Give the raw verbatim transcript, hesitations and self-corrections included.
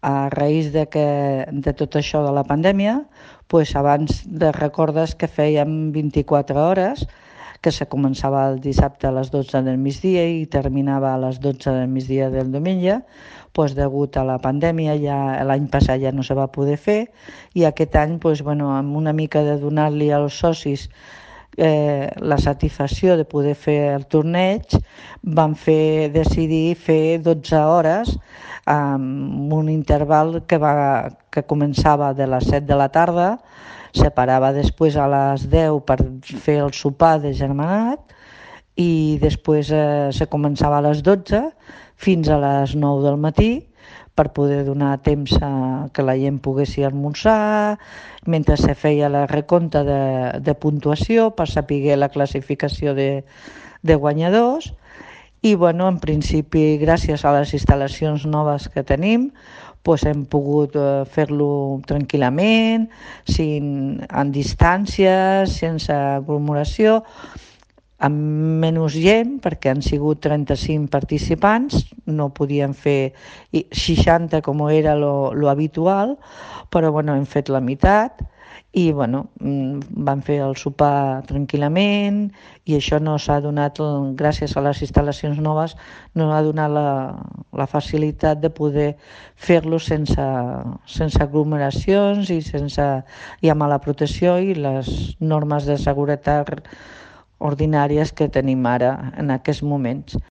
A raïs de, que, de tot això de la pandèmia, pues abans de recordes que fèiem vint-i-quatre hores, que se començava el dissabte a les dotze del migdia i terminava a les dotze del migdia del diumenge, pues degut a la pandèmia ja l'any passat ja no se va poder fer i aquest any pues, bueno, amb una mica de donar-li als socis eh, la satisfacció de poder fer el torneig, van fer decidir fer dotze hores amb un interval que, va, que començava de les set de la tarda, se parava després a les deu per fer el sopar de germanat i després eh, se començava a les dotze fins a les nou del matí per poder donar temps a que la gent pogués esmorzar, mentre se feia la recompte de, de puntuació per saber la classificació de, de guanyadors. I bueno, en principi, gràcies a les instal·lacions noves que tenim, pues hem pogut eh, fer-lo tranquil·lament, sin, en distàncies, sense aglomeració, amb menys gent, perquè han sigut trenta-cinc participants, no podien fer seixanta com era lo, lo habitual, però bueno, hem fet la meitat i bueno, van fer el sopar tranquil·lament i això no s'ha donat, gràcies a les instal·lacions noves, no ha donat la, la facilitat de poder fer-lo sense, sense aglomeracions i, sense, i amb la protecció i les normes de seguretat ordinàries que tenim ara en aquests moments.